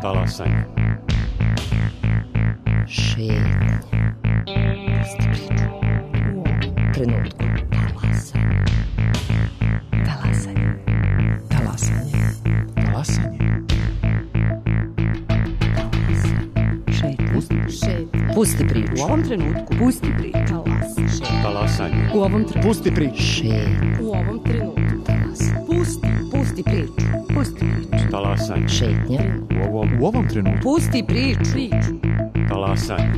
Talasanje. Šetnja. Pusti priču. U ovom trenutku. Talasanje. Talasanje. Talasanje. Šetnja. Pusti priču. U ovom trenutku. Pusti priču. Talasanje. U ovom trenutku. Pusti priču. Šetnja. U ovom trenutku. Talasanje. Pusti priču. Pusti priču. Talasanje. Šetnja. U ovom trenutku. Pusti priču. Talasanje.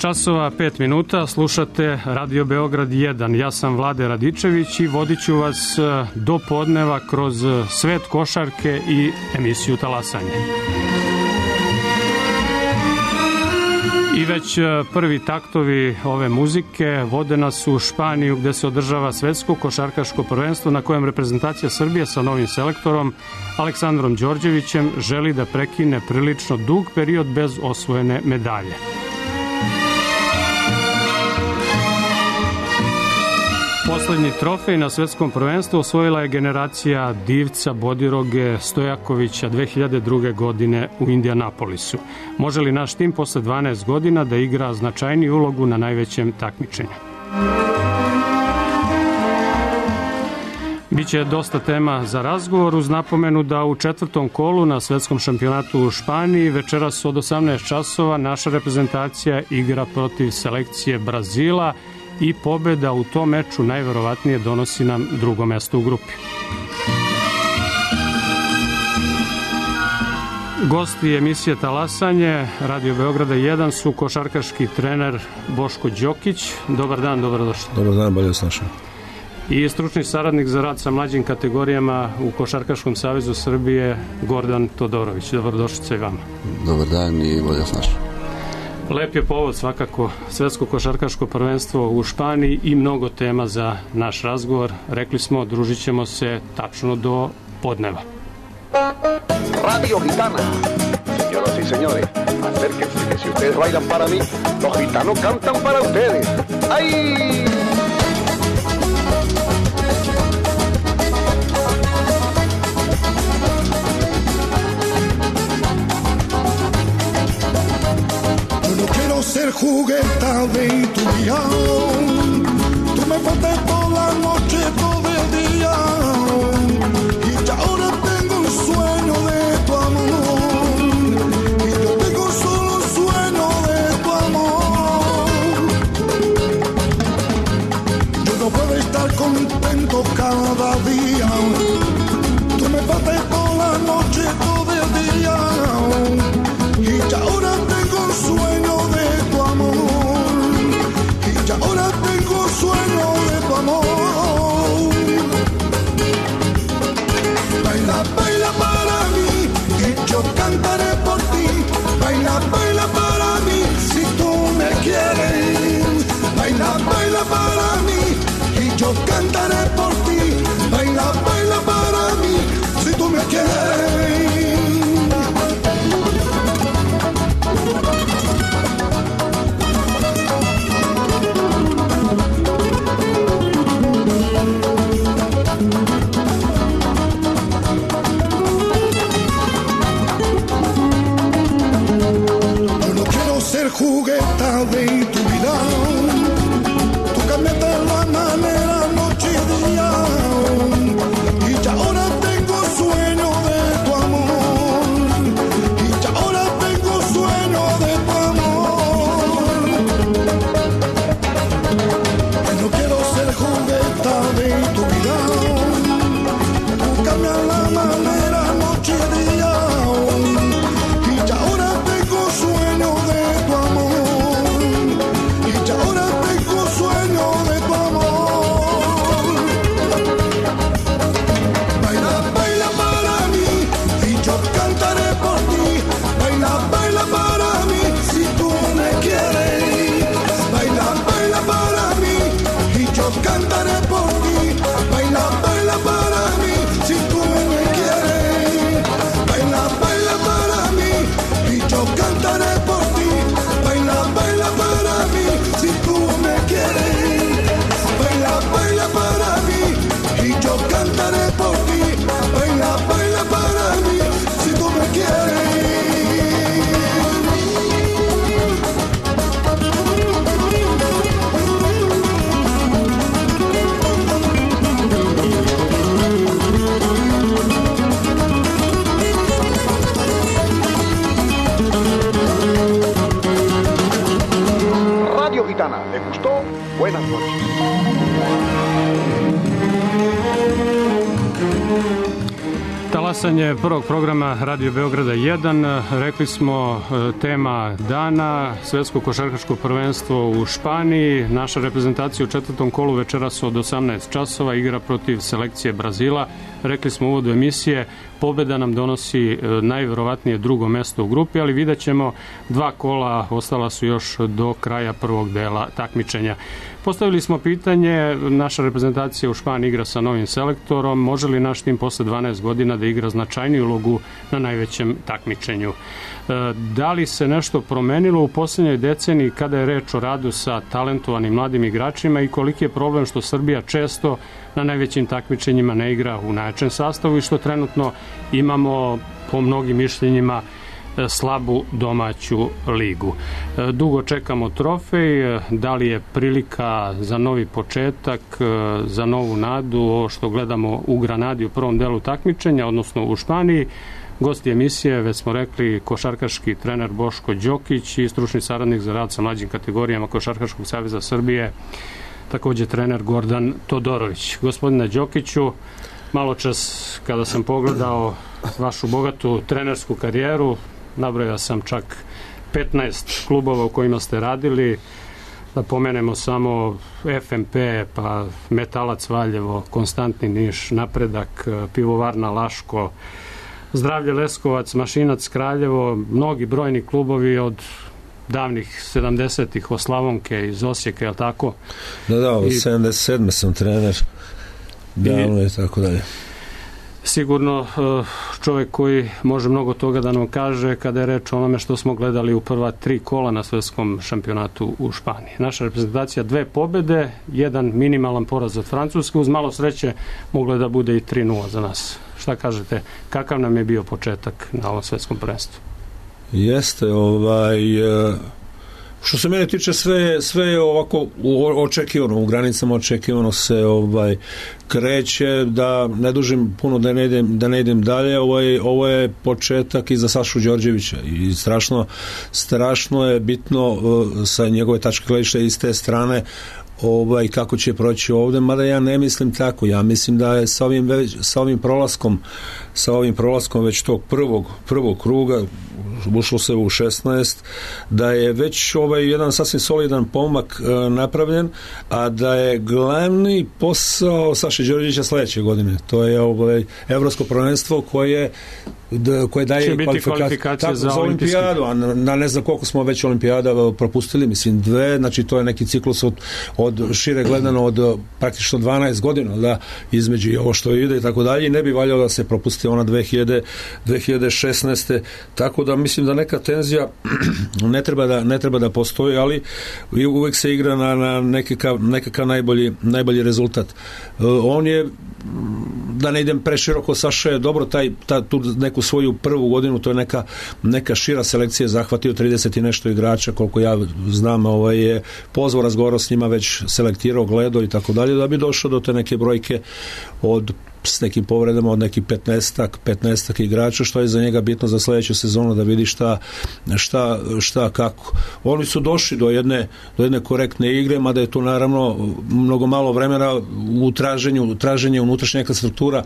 časova 5 minuta, slušate Radio Beograd 1. Ja sam Vlade Radičević i vodit ću vas do podneva kroz svet košarke i emisiju Talasanje. I već prvi taktovi ove muzike vode nas u Španiju gde se održava svetsko košarkaško prvenstvo na kojem reprezentacija Srbije sa novim selektorom Aleksandrom Đorđevićem želi da prekine prilično dug period bez osvojene medalje. Poslednji trofej na svetskom prvenstvu osvojila je generacija Divca, Bodiroge, Stojakovića 2002. godine u Indijanapolisu. Može li naš tim posle 12 godina da igra značajniju ulogu na najvećem takmičenju? Biće dosta tema za razgovor uz napomenu da u četvrtom kolu na svetskom šampionatu u Španiji večeras od 18 časova naša reprezentacija igra protiv selekcije Brazila i pobeda u tom meču najverovatnije donosi nam drugo mesto u grupi. Gosti emisije Talasanje Radio Beograda 1 su košarkaški trener Boško Đokić. Dobar dan, dobrodošli. Dobar dan, bolje vas našao. I stručni saradnik za rad sa mlađim kategorijama u Košarkaškom savezu Srbije Gordan Todorović. Dobrodošlice i vama. Dobar dan i bolje vas našao. Lep je povod svakako svetsko košarkaško prvenstvo u Španiji i mnogo tema za naš razgovor. Rekli smo, družit ćemo se tačno do podneva. Radio Gitana. Señoras y señores, acérquense que si ustedes bailan para mí, los gitanos cantan para ustedes. ¡Ay! Ser jugueta de tu día, tú me pones toda la noche, todo el día, y ya ahora tengo un sueño de tu amor, y yo tengo solo un sueño de tu amor. Yo no puedo estar contento cada día, tú me pones toda la noche, todo el día, y ya ahora tengo un sueño de tu amor, y ya ahora tengo sueño de tu amor. Baila, baila para mí, y yo cantaré por ti. Baila, baila para mí, si tú me quieres. Baila, baila para mí, y yo cantaré por ti. Baila, baila para mí, si tú me quieres. Jugueta de tu vida, tú cambiaste la manera noche y día, y ya ahora tengo sueño de tu amor, y ya ahora tengo sueño de tu amor. Y no quiero ser jugueta de tu vida, tú cambias la manera noche y día, y ya ahora tengo sueño de tu amor. Talasanje prvog programa Radio Beograda 1. Rekli smo tema dana, svetsko košarkaško prvenstvo u Španiji. Naša reprezentacija u četvrtom kolu večeras od 18 časova igra protiv selekcije Brazila. Rekli smo u uvodu emisije, pobeda nam donosi najverovatnije drugo mesto u grupi, ali vidjet ćemo 2 kola, ostala su još do kraja prvog dela takmičenja. Postavili smo pitanje, naša reprezentacija u Španiji igra sa novim selektorom, može li naš tim posle 12 godina da igra značajniju ulogu na najvećem takmičenju? Da li se nešto promenilo u posljednjoj deceniji kada je reč o radu sa talentovanim mladim igračima i koliki je problem što Srbija često na najvećim takmičenjima ne igra u najjačem sastavu i što trenutno imamo po mnogim mišljenjima slabu domaću ligu. Dugo čekamo trofej, da li je prilika za novi početak, za novu nadu, ovo što gledamo u Granadi u prvom delu takmičenja, odnosno u Španiji. Gosti emisije, već smo rekli, košarkaški trener Boško Đokić i stručni saradnik za rad sa mlađim kategorijama Košarkaškog saveza Srbije, također trener Gordan Todorović. Gospodine Đokiću, malo čas kada sam pogledao vašu bogatu trenersku karijeru, nabrojao sam čak 15 klubova u kojima ste radili, da pomenemo samo FMP, pa Metalac Valjevo, Konstantni Niš, Napredak, Pivovarna Laško, Zdravlje Leskovac, Mašinac Kraljevo, mnogi brojni klubovi od davnih 70-ih, Oslavonke iz Osijeka, je li tako? Da, od 77. sam trener, davno i tako dalje. Sigurno čovjek koji može mnogo toga da nam kaže kada je reč o onome što smo gledali u prva 3 kola na svjetskom šampionatu u Španiji. Naša reprezentacija 2 pobjede, 1 minimalan poraz od Francuske, uz malo sreće moglo da bude i 3-0 za nas. Šta kažete, kakav nam je bio početak na ovom svjetskom prvenstvu? Jeste, što se mene tiče, sve je ovako očekivano, u granicama očekivano se kreće, da ne dužim puno, da ne idem dalje. Ovo je početak i za Sašu Đorđevića i strašno je bitno sa njegove tačke gledišta i s te strane kako će proći ovdje, mada ja ne mislim tako. Ja mislim da je sa ovim prolaskom već tog prvog kruga ušlo se u 16, da je već jedan sasvim solidan pomak napravljen, a da je glavni posao Saše Đorđevića sljedeće godine. To je evropsko prvenstvo koje daje kvalifikacije za olimpijadu, a na ne znam koliko smo već olimpijada propustili, mislim 2, znači to je neki ciklus od šire gledano od praktično 12 godina, da između ovo što ide i tako dalje, i ne bi valjalo da se propusti ona 2016. Tako da mislim da neka tenzija ne treba da postoji, ali uvek se igra na nekakav najbolji rezultat. On je, da ne idem preširoko, Saša je dobro tu neku svoju prvu godinu, to je neka šira selekcija, zahvatio 30 i nešto igrača, koliko ja znam, je pozvao, razgovarao s njima, već selektirao, gledao i tako dalje, da bi došao do te neke brojke s nekim povredama od nekih 15 igrača, što je za njega bitno za sljedeću sezonu, da vidi šta kako. Oni su došli do jedne korektne igre, mada je tu naravno mnogo malo vremena u traženju unutrašnja neka struktura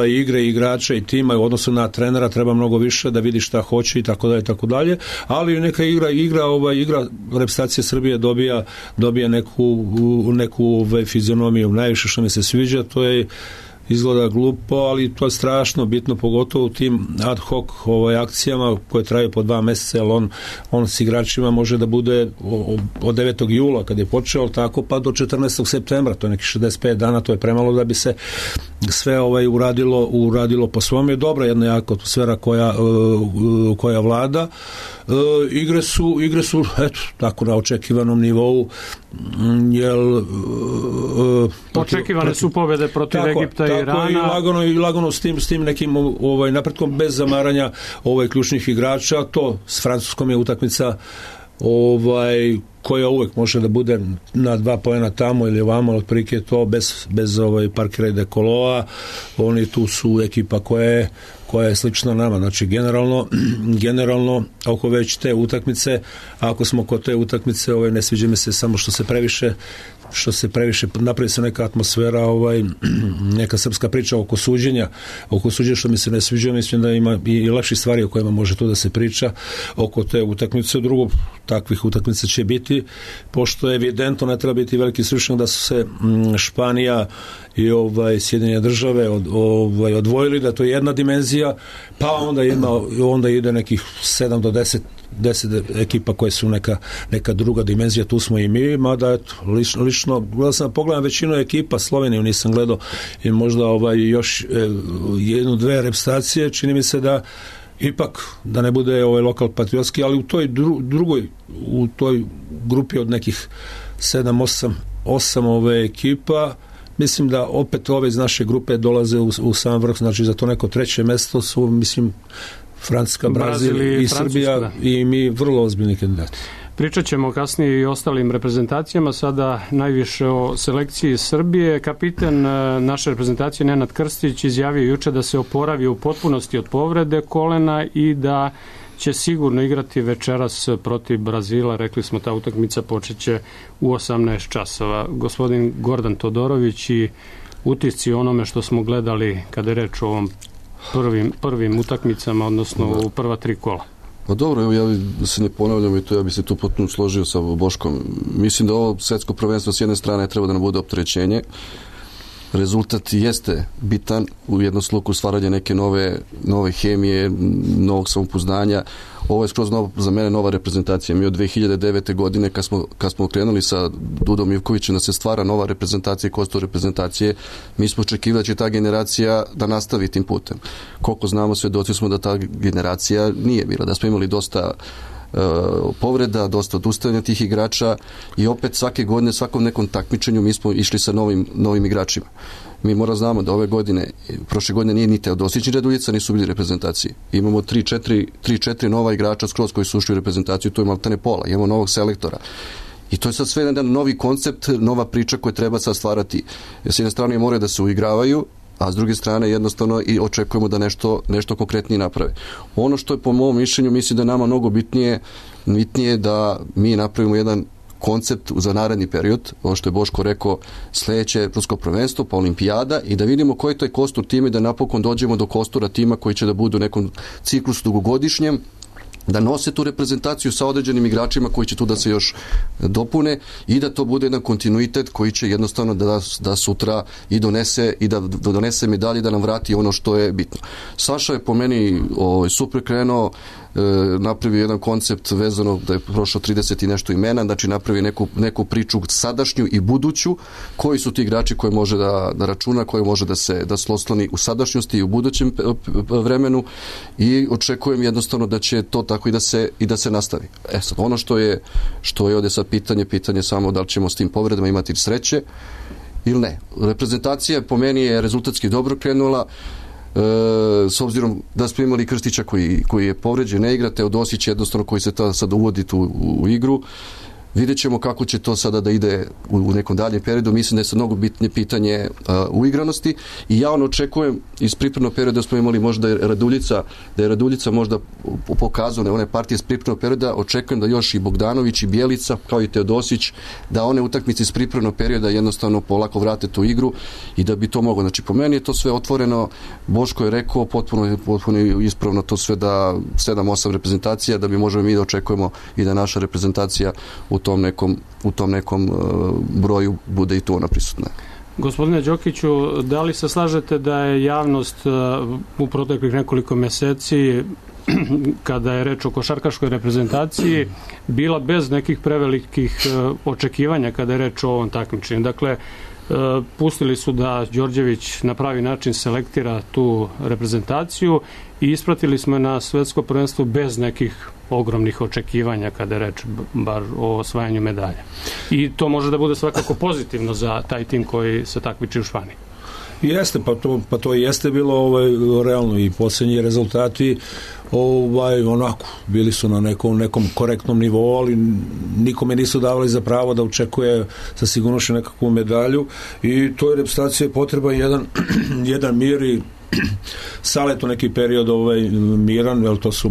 igre, igrača i tima, u odnosu na trenera treba mnogo više da vidi šta hoće i tako dalje, ali neka igra reprezentacije Srbije dobija neku fizionomiju. Najviše što mi se sviđa, to je, izgleda glupo, ali to je strašno bitno, pogotovo u tim ad hoc akcijama koje traju po 2 mjeseca, jer on s igračima može da bude od 9. jula kad je počeo, tako pa do 14. septembra, to je neki 65 dana, to je premalo da bi se sve uradilo po svom. Je dobra jedna jaka atmosfera koja vlada. Igre su eto, tako na očekivanom nivou, jel očekivane su pobjede protiv Egipta i Irana. I lagano s tim nekim napretkom, bez zamaranja ključnih igrača. To s Francuskom je utakmica koja uvek može da bude na 2 poena tamo ili ovamo, otprilike to bez parkira i dekoloa. Oni tu su ekipa koja je slična nama. Znači, generalno oko već te utakmice, ako smo kod te utakmice, ne sviđa mi se samo što se previše napravi se neka atmosfera, neka srpska priča oko suđenja što mi se ne sviđa. Mislim da ima i lepših stvari o kojima može tu da se priča oko te utakmice. Drugo, takvih utakmica će biti, pošto je evidentno, ne treba biti veliki stručnjak da su se Španija i Sjedinjene Države odvojili, da to je jedna dimenzija, pa onda ide nekih 7 do 10 ekipa koje su neka druga dimenzija, tu smo i mi, mada lično pogledam većinu ekipa, Sloveniju nisam gledao i možda još 1-2 reprezentacije, čini mi se da ipak da ne bude lokal patriotski, ali u toj u toj grupi od nekih 7-8 ekipa, mislim da opet ove iz naše grupe dolaze u sam vrh, znači za to neko 3. mesto su, mislim, Francuska, Brazil i Srbija, da. I mi vrlo ozbiljni kandidati. Pričat ćemo kasnije i o ostalim reprezentacijama, sada najviše o selekciji Srbije. Kapitan naše reprezentacije Nenad Krstić izjavio juče da se oporavio u potpunosti od povrede kolena i da će sigurno igrati večeras protiv Brazila. Rekli smo, ta utakmica počeće u 18 časova. Gospodin Gordan Todorović i utisci onome što smo gledali kada je reč o ovom prvim utakmicama, odnosno u prva 3 kola. Pa dobro, evo, ja se ne ponavljam i to ja bi se tu potpuno složio sa Boškom. Mislim da ovo svetsko prvenstvo s jedne strane treba da nam bude opterećenje. Rezultat jeste bitan, u jednom sluku stvaranje neke nove hemije, novog samopouzdanja. Ovo je skroz za mene nova reprezentacija. Mi od 2009. godine kad smo krenuli sa Dudom Ivkovićem da se stvara nova reprezentacija i kostor reprezentacije, mi smo očekivali da će ta generacija da nastavi tim putem. Koliko znamo, svedoci smo da ta generacija nije bila, da smo imali dosta povreda, dosta odustajanja tih igrača i opet svake godine, svakom nekom takmičenju mi smo išli sa novim igračima. Mi moramo znamo da ove godine, prošle godine nije ni Teodosić ni Raduljica nisu bili reprezentaciji. Imamo 3-4 nova igrača skroz koji su ušli u reprezentaciju, to je maltene pola, imamo novog selektora. I to je sad sve jedan novi koncept, nova priča koju treba sad stvarati. S jedne strane moraju da se uigravaju, a s druge strane jednostavno i očekujemo da nešto konkretnije naprave. Ono što je po mom mišljenju, mislim da je nama mnogo bitnije da mi napravimo jedan koncept za naredni period, ovo što je Boško rekao, sledeće evropsko prvenstvo, pa olimpijada, i da vidimo koji je taj kostur tima i da napokon dođemo do kostura tima koji će da budu u nekom ciklusu dugogodišnjem, da nose tu reprezentaciju sa određenim igračima koji će tu da se još dopune i da to bude jedan kontinuitet koji će jednostavno da sutra i donese medalje, da nam vrati ono što je bitno. Saša je po meni super krenuo, napravio jedan koncept vezano da je prošlo 30 i nešto imena, znači napravi neku priču sadašnju i buduću, koji su ti igrači koje može da računa, koje može da se osloni u sadašnjosti i u budućem vremenu, i očekujem jednostavno da će to tako i da se nastavi. Sad, ono što je ovdje sad pitanje samo da li ćemo s tim povredama imati sreće ili ne. Reprezentacija po meni je rezultatski dobro krenula, s obzirom da smo imali Krstića koji je povređen, ne igra, Teodosić jednostavno koji se sad uvodi tu u igru. Vidjet ćemo kako će to sada da ide u nekom daljem periodu. Mislim da je sad mnogo bitnije pitanje uigranosti i ja očekujem iz pripremnog perioda da smo imali možda da je Raduljica možda pokazao one partije iz pripremnog perioda, očekujem da još i Bogdanović i Bjelica kao i Teodosić da one utakmice iz pripremnog perioda jednostavno polako vrate tu igru i da bi to moglo. Znači po meni je to sve otvoreno, Boško je rekao potpuno ispravno to sve, da 7-8 reprezentacija, da bi možemo mi da očekujemo i da naša reprezentacija u tom nekom broju bude i tu ona prisutna. Gospodine Đokiću, da li se slažete da je javnost u proteklih nekoliko meseci, kada je reč o košarkaškoj reprezentaciji, bila bez nekih prevelikih očekivanja kada je reč o ovom takmičenju? Dakle, pustili su da Đorđević na pravi način selektira tu reprezentaciju i ispratili smo na svetsko prvenstvo bez nekih ogromnih očekivanja kada je reč bar o osvajanju medalja. I to može da bude svakako pozitivno za taj tim koji se takmiči u Španiji. Jeste, pa to jeste bilo realno i posljednji rezultati onako, bili su na nekom korektnom nivou, ali nikome nisu davali za pravo da očekuje sa sigurnošću nekakvu medalju i toj reprezentaciji je potreba jedan mir i Saletu neki period miran, jer to su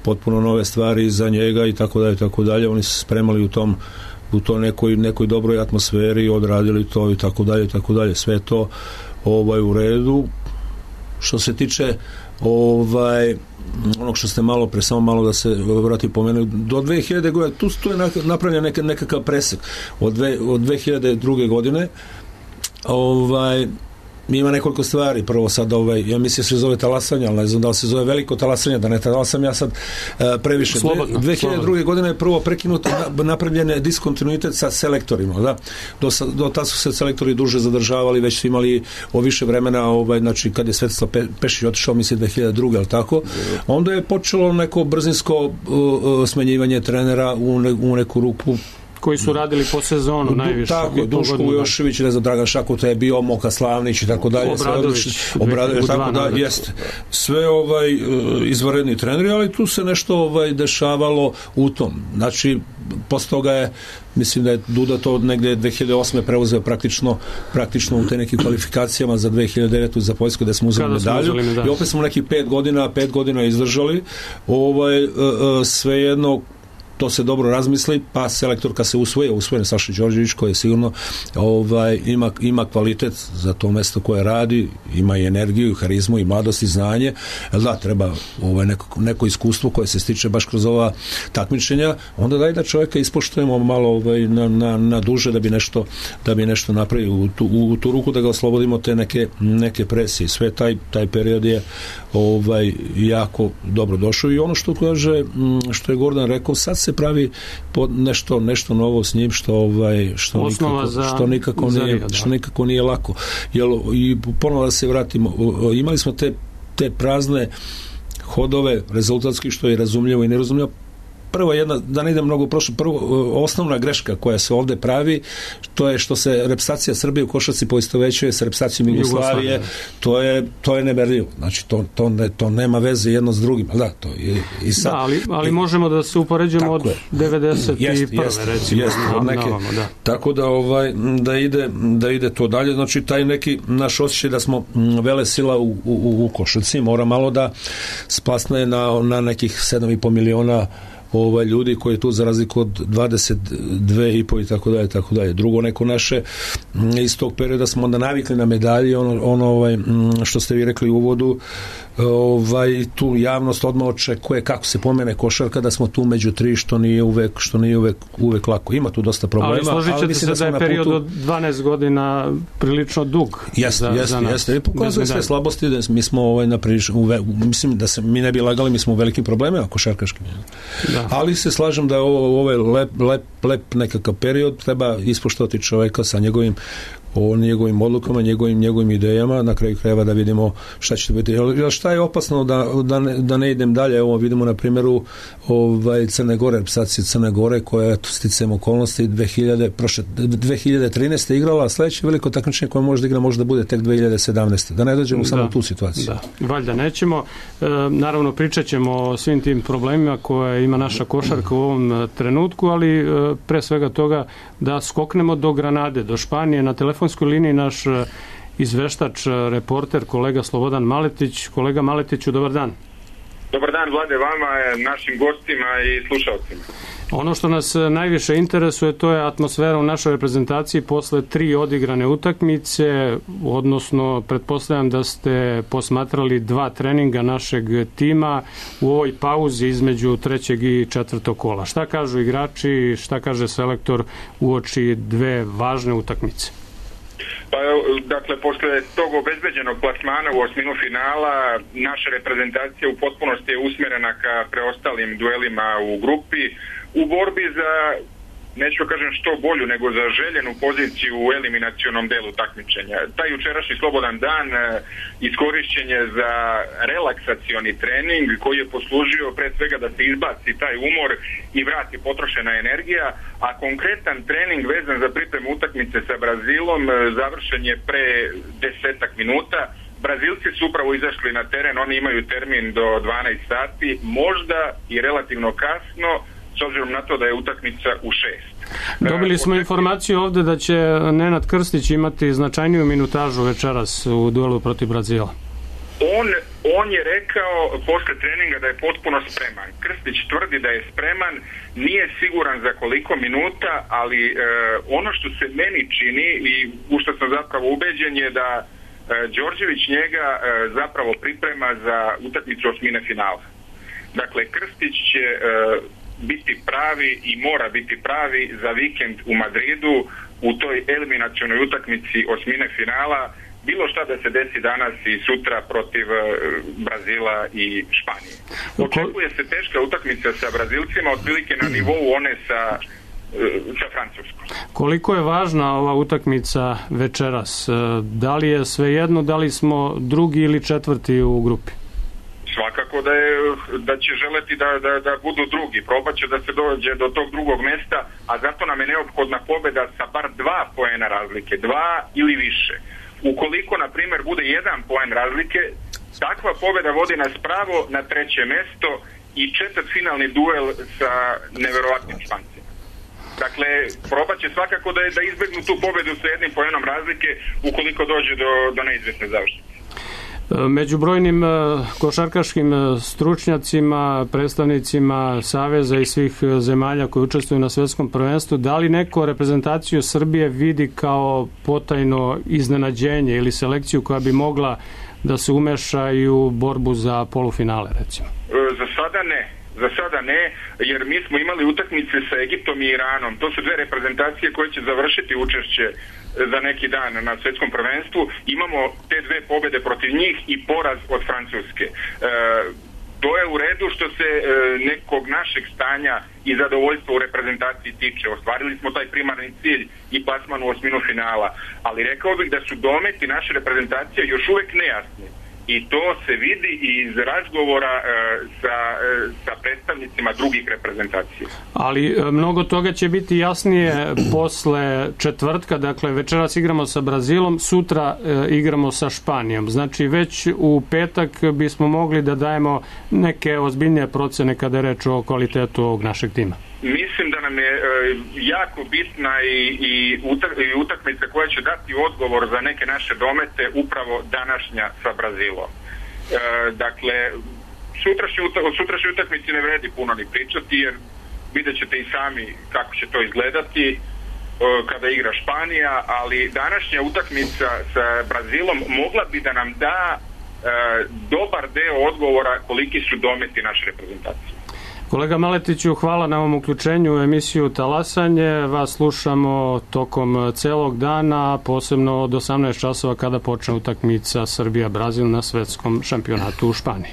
potpuno nove stvari za njega i tako dalje, oni su spremali u to nekoj dobroj atmosferi, odradili to i tako dalje, sve to u redu. Što se tiče onog što ste malo pre, samo malo da se vrati pomenuti, do 2000 godine, tu je napravljen nekakav presek od 2002. godine ima nekoliko stvari. Prvo sad, ja mislim se zove talasanje, ali ne znam da li se zove veliko talasanje, da ne talasam ja sad previše. 2002. godine je prvo prekinuto, napravljen je diskontinuitet sa selektorima, da? Do tada su se selektori duže zadržavali, već su imali više vremena, znači kad je Svetislav Pešić otišao, mislim 2002. ali tako, onda je počelo neko brzinsko smenjivanje trenera u neku ruku, koji su radili po sezonu najviše. Tako, Duško Ujošević, ne znam, Dragan Šakuta je bio, Moka Slavnić i tako dalje. Obradović, tako da, jeste. Sve izvanredni treneri, ali tu se nešto dešavalo u tom. Znači, posle toga je, mislim da je Duda to negde 2008. preuzeo praktično u te nekim kvalifikacijama za 2009. za Poljsku gde smo uzeli medalju. I opet smo nekih 5 godina izdržali. Svejedno, to se dobro razmisli, pa selektor kad se usvoje Saša Đorđević, koji je sigurno ima kvalitet za to mesto koje radi, ima i energiju, harizmu i mladost i znanje, da, treba neko iskustvo koje se stiče baš kroz ova takmičenja, onda daj da čovjeka ispoštujemo malo na duže da bi nešto napravio u tu ruku, da ga oslobodimo te neke presije. Sve taj period je jako dobro došao i ono što kaže, što je Gordan rekao, sad se pravi nešto novo s njim što nikako nije lako. I ponovo da se vratimo, imali smo te prazne hodove rezultatski, što je razumljivo i nerazumljivo. Prvo da ne idem mnogo prošlo, osnovna greška koja se ovde pravi, to je što se reprezentacija Srbije u košarci poistovećuje sa reprezentacijom Jugoslavije, to je nemerljivo. Znači, to nema veze jedno s drugim. Da, to je i sad. Da, ali možemo da se upoređujemo od 91. recimo. Tako da ide to dalje. Znači, taj neki naš osjećaj da smo vele sila u košarci mora malo da splasne na nekih 7,5 miliona ljudi koji je tu za razliku od 22,5 i tako dalje. Drugo, neko naše iz tog perioda smo onda navikli na medalje, što ste vi rekli u uvodu, tu javnost odmah očekuje kako se pomene košarka, da smo tu među tri, što nije uvek lako. Ima tu dosta problema. Ali složit ćete se da je period od 12 godina prilično dug. Jeste. Pokazuje sve slabosti, da mi smo mislim da se mi ne bi lagali, mi smo u velikim problemima košarkaškim. Da. Ali se slažem da je ovo lep nekakav period, treba ispoštovati čoveka sa njegovim odlukama, njegovim idejama, na kraju krajeva da vidimo šta će biti. Šta je opasno da ne idem dalje, evo vidimo na primjeru Crne Gore, reprezentacije Crne Gore koja je sticajem okolnosti 2013. igrala, a sledeće veliko takmičenje koje može da igra može da bude tek 2017. Da ne dođemo samo u tu situaciju. Da, valjda nećemo. Naravno pričat ćemo o svim tim problemima koje ima naša košarka u ovom trenutku, ali pre svega toga da skoknemo do Granade, do Španije. Na telefonskoj liniji naš izveštač, reporter, kolega Slobodan Maletić. Kolega Maletiću, dobar dan. Dobar dan, Vlade, vama, našim gostima i slušalcima. Ono što nas najviše interesuje, to je atmosfera u našoj reprezentaciji posle 3 odigrane utakmice, odnosno pretpostavljam da ste posmatrali 2 treninga našeg tima u ovoj pauzi između 3. i 4. kola. Šta kažu igrači, šta kaže selektor uoči 2 važne utakmice? Pa, dakle, posle tog obezbeđenog plasmana u osminu finala, naša reprezentacija u potpunosti je usmjerena ka preostalim duelima u grupi, u borbi za, neću kažem što bolju, nego za željenu poziciju u eliminacionom delu takmičenja. Taj jučerašnji slobodan dan iskorišćen je za relaksacioni trening koji je poslužio pre svega da se izbaci taj umor i vrati potrošena energija, a konkretan trening vezan za pripremu utakmice sa Brazilom završen je pre 10 minuta, Brazilci su upravo izašli na teren, oni imaju termin do 12 sati, možda i relativno kasno, s obzirom na to da je utakmica u 6. Dobili smo informaciju ovde da će Nenad Krstić imati značajniju minutažu večeras u duelu protiv Brazila. On je rekao posle treninga da je potpuno spreman. Krstić tvrdi da je spreman, nije siguran za koliko minuta, ali ono što se meni čini i u što sam zapravo ubeđen je da Đorđević njega zapravo priprema za utakmicu osmine finala. Dakle, Krstić će biti pravi i mora biti pravi za vikend u Madridu u toj eliminacionoj utakmici osmine finala, bilo šta da se desi danas i sutra protiv Brazila i Španije. Očekuje se teška utakmica sa Brazilcima, otprilike na nivou one sa Francuskom. Koliko je važna ova utakmica večeras? Da li je svejedno, da li smo drugi ili četvrti u grupi? Svakako da će želeti da budu drugi. Probat će da se dođe do tog drugog mesta, a zato nam je neophodna pobeda sa bar 2 poena razlike, 2 ili više. Ukoliko, na primjer, bude 1 poen razlike, takva pobeda vodi nas pravo na 3. mesto i četvrtfinalni duel sa neverovatnim Špancima. Dakle, probat će svakako da izbegnu tu pobedu sa 1 poenom razlike ukoliko dođe do neizvesne završnice. Među brojnim košarkaškim stručnjacima, predstavnicima Saveza i svih zemalja koji učestvuju na svetskom prvenstvu, da li neko reprezentaciju Srbije vidi kao potajno iznenađenje ili selekciju koja bi mogla da se umeša i u borbu za polufinale, recimo? Za sada ne, jer mi smo imali utakmice sa Egiptom i Iranom. To su 2 reprezentacije koje će završiti učešće za neki dan na svetskom prvenstvu. Imamo te 2 pobede protiv njih i poraz od Francuske. To je u redu što se nekog našeg stanja i zadovoljstva u reprezentaciji tiče. Ostvarili smo taj primarni cilj i plasman u osminu finala. Ali rekao bih da su dometi naše reprezentacije još uvek nejasni. I to se vidi iz razgovora sa predstavnicima drugih reprezentacija. Ali mnogo toga će biti jasnije posle četvrtka, dakle večeras igramo sa Brazilom, sutra igramo sa Španijom. Znači već u petak bismo mogli da dajemo neke ozbiljnije procene kada je reč o kvalitetu ovog našeg tima. Mislim da nam je jako bitna i utakmica koja će dati odgovor za neke naše domete upravo današnja sa Brazilom. Dakle, sutrašnje utakmici ne vredi puno ni pričati, jer vidjet ćete i sami kako će to izgledati kada igra Španija, ali današnja utakmica sa Brazilom mogla bi da nam da dobar deo odgovora koliki su dometi naše reprezentacije. Kolega Maletiću, hvala na ovom uključenju u emisiju Talasanje. Vas slušamo tokom celog dana, posebno od 18 časova kada počne utakmica Srbija-Brazil na svetskom šampionatu u Španiji.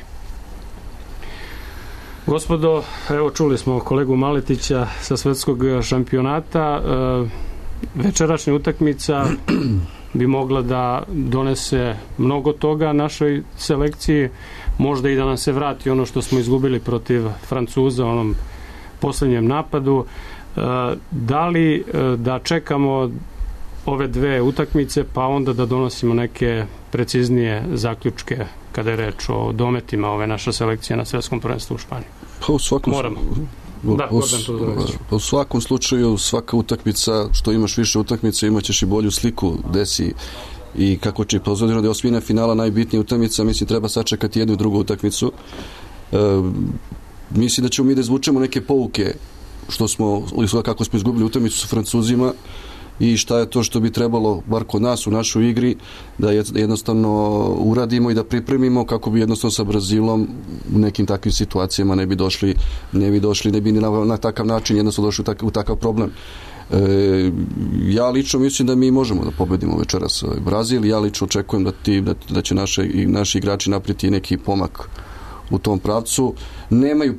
Gospodo, evo čuli smo kolegu Maletića sa svetskog šampionata. Večerašnja utakmica bi mogla da donese mnogo toga našoj selekciji, možda i da nam se vrati ono što smo izgubili protiv Francuza u onom poslednjem napadu. Da li da čekamo ove 2 utakmice pa onda da donosimo neke preciznije zaključke kada je reč o dometima ove naše selekcije na svetskom prvenstvu u Španiji? U svakom slučaju svaka utakmica, što imaš više utakmica, imaćeš i bolju sliku desi i kako će pozvoditi da je osmina finala najbitnija utakmica, mislim treba sačekati jednu i drugu utakmicu. Mislim da ćemo mi da izvučemo neke pouke kako smo izgubili utakmicu sa Francuzima i šta je to što bi trebalo, bar kod nas u našoj igri, da jednostavno uradimo i da pripremimo kako bi jednostavno sa Brazilom u nekim takvim situacijama ne bi na takav način jednostavno došli u takav problem. Ja lično mislim da mi možemo da pobedimo večeras Brazil. Ja lično očekujem da će naši igrači napraviti neki pomak u tom pravcu. Nemaju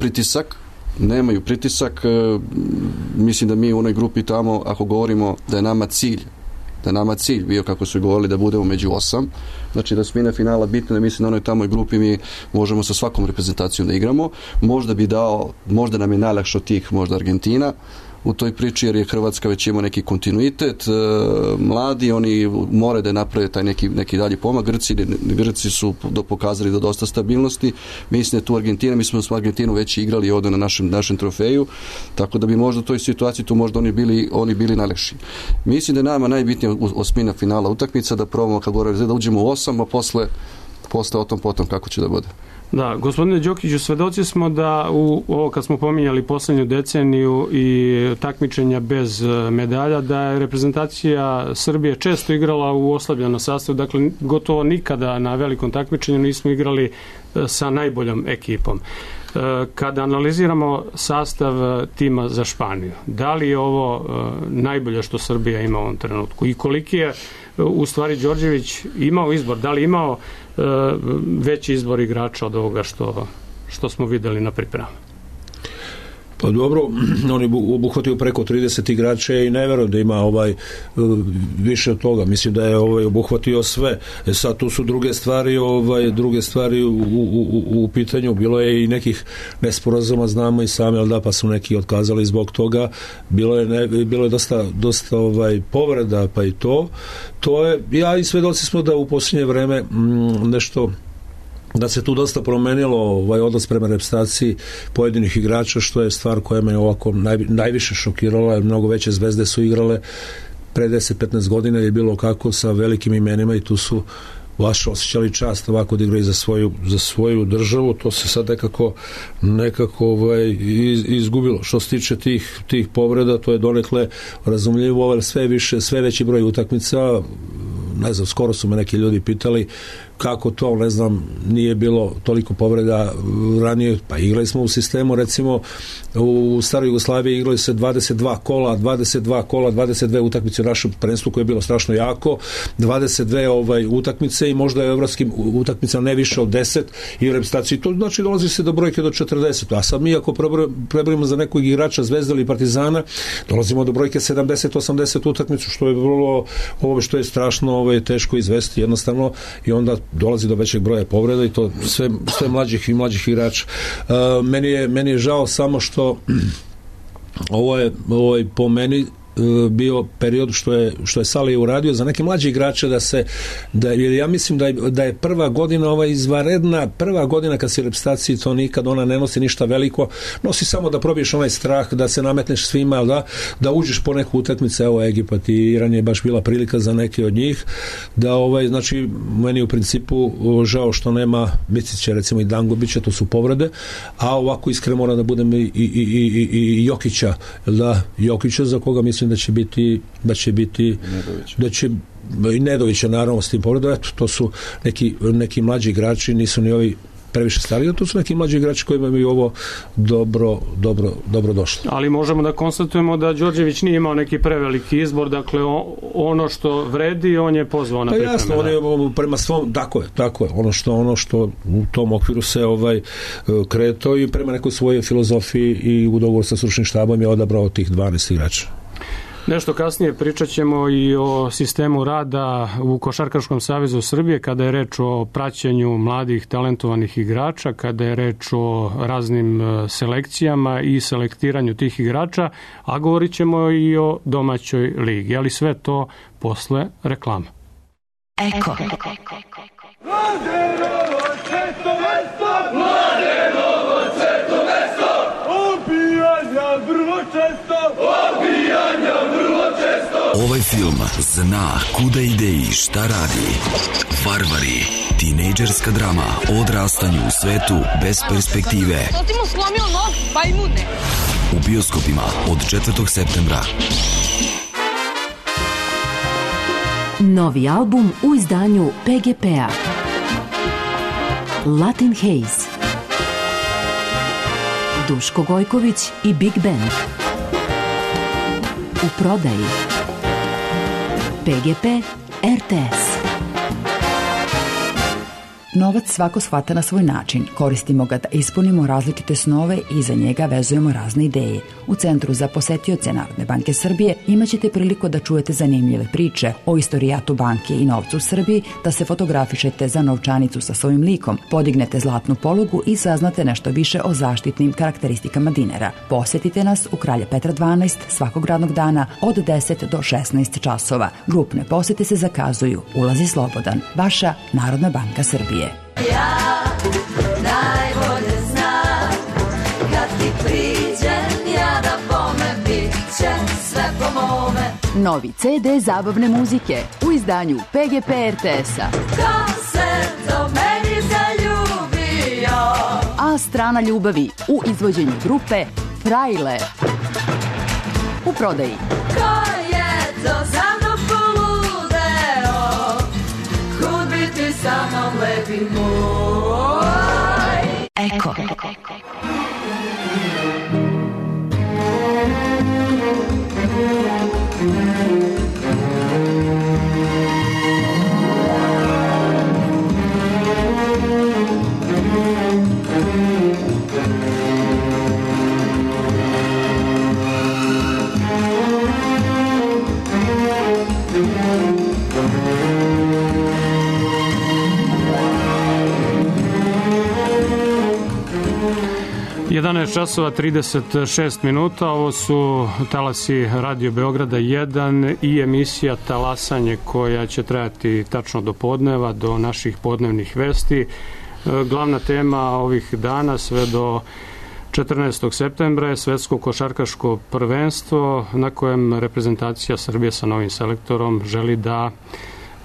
pritisak, mislim da mi u onoj grupi tamo, ako govorimo da je nama cilj bio, kako su govorili, da budemo među 8, znači da osmina finala bitna, da mislim da onoj tamoj grupi mi možemo sa svakom reprezentacijom da igramo. Možda nam je najlakše od tih možda Argentina, u toj priči, jer je Hrvatska već ima neki kontinuitet, mladi, oni moraju da naprave taj neki dalji pomak. Grci su pokazali do dosta stabilnosti. Mislim da tu Argentina, mi smo s Argentinu već igrali ovdje na našem trofeju, tako da bi možda u toj situaciji tu možda oni bili najlakši. Mislim da je nama najbitnija osmina finala utakmica, da probamo kad govorimo da uđemo u 8, a posle o tom potom kako će da bude. Da, gospodine Đokiću, svedoci smo da ovo kad smo pominjali posljednju deceniju i takmičenja bez medalja, da je reprezentacija Srbije često igrala u oslabljenom sastavu, dakle gotovo nikada na velikom takmičenju nismo igrali sa najboljom ekipom. Kada analiziramo sastav tima za Španiju, da li je ovo najbolje što Srbija ima u ovom trenutku i koliki je u stvari Đorđević imao izbor, da li imao veći izbor igrača od ovoga što smo videli na pripremama? Pa dobro, on je obuhvatio preko 30 igrača i ne verujem da ima više od toga. Mislim da je obuhvatio sve. Sad tu su druge stvari u pitanju. Bilo je i nekih nesporazuma, znamo i sami, ali da, pa su neki otkazali zbog toga. Bilo je dosta povreda, pa i to. To je, ja i svedoci smo da u posljednje vreme nešto, da se tu dosta promenilo odnos prema reprezentaciji pojedinih igrača, što je stvar koja me ovako najviše šokirala, jer mnogo veće zvezde su igrale pre 10-15 godina, je bilo kako sa velikim imenima i tu su baš osjećali čast ovako da igraju za svoju državu. To se sad nekako izgubilo. Što se tiče tih povreda, to je donekle razumljivo, ali sve veći broj utakmica, ne znam, skoro su me neki ljudi pitali kako to, ne znam, nije bilo toliko povreda ranije. Pa igrali smo u sistemu, recimo u staroj Jugoslaviji igrali se 22 kola, 22 utakmice u našem prvenstvu koje je bilo strašno jako, 22 utakmice i možda je evropskim utakmicama ne više od 10 i u reprezentaciji. To znači dolazi se do brojke do 40. A sad mi ako prebrojimo za nekog igrača Zvezde ili Partizana, dolazimo do brojke 70-80 utakmicu, što je vrlo, što je strašno teško izvesti jednostavno, i onda dolazi do većeg broja povreda i to sve mlađih i mlađih igrača. Meni je žao samo što ovo je po meni bio period što je Salih uradio za neke mlađe igrače jer ja mislim da je prva godina izvanredna, prva godina kad si u reprezentaciji, to nikad ona ne nosi ništa veliko, nosi samo da probiješ onaj strah, da se nametneš svima, da uđeš po neku utakmicu. Evo Egipat i Iran je baš bila prilika za neke od njih, da znači meni u principu žao što nema Micića, recimo, i Dangubića, to su povrede, a ovako iskreno mora da budem i Jokića, Jokića, za koga mislim da će biti i Nedovića, naravno, s tim povredom. Eto, to su neki mlađi igrači, nisu ni ovi previše stariji, to su neki mlađi igrači koji imaju ovo dobro došli. Ali možemo da konstatujemo da Đorđević nije imao neki preveliki izbor, dakle ono što vredi, on je pozvao na pripreme. Jasno, on je prema svom, tako je, ono što u tom okviru se kretao i prema nekoj svojoj filozofiji i u dogovoru sa stručnim štabom je odabrao tih 12 igrača. Nešto kasnije pričat ćemo i o sistemu rada u Košarkaškom savezu Srbije kada je reč o praćenju mladih talentovanih igrača, kada je reč o raznim selekcijama i selektiranju tih igrača, a govorit ćemo i o domaćoj ligi, ali sve to posle reklama. Eko. Ovaj film zna kuda ide i šta radi. Varvari, tinejdžerska drama o odrastanju u svetu bez perspektive. To ti mu slomio nos, bajmune. U bioskopima od 4. septembra. Novi album u izdanju PGP-a. Latin Haze. Duško Gojković i Big Band. U prodaji PGP RTS. Novac svako shvata na svoj način. Koristimo ga da ispunimo različite snove i iza njega vezujemo razne ideje. U Centru za posetioce Narodne banke Srbije imaćete priliku da čujete zanimljive priče o istorijatu banke i novcu u Srbiji, da se fotografišete za novčanicu sa svojim likom, podignete zlatnu polugu i saznate nešto više o zaštitnim karakteristikama dinara. Posetite nas u Kralja Petra 12 svakog radnog dana od 10 do 16 časova. Grupne posete se zakazuju. Ulaz je slobodan. Vaša Narodna banka Srbije. Ja najbolje znam kad ti priđem ja da bome bit će sve po mome. Novi CD zabavne muzike u izdanju PGP RTS-a. Ko se do meni zaljubio? A strana ljubavi u izvođenju grupe Frajle. U prodaji. Ko je to za mnom poludeo? Kud bi ti sa mnom lepi moj? Eko. časova 36 minuta, ovo su talasi Radio Beograda 1 i emisija Talasanje koja će trajati tačno do podneva, do naših podnevnih vesti. Glavna tema ovih dana sve do 14. septembra je svetsko košarkaško prvenstvo na kojem reprezentacija Srbije sa novim selektorom želi da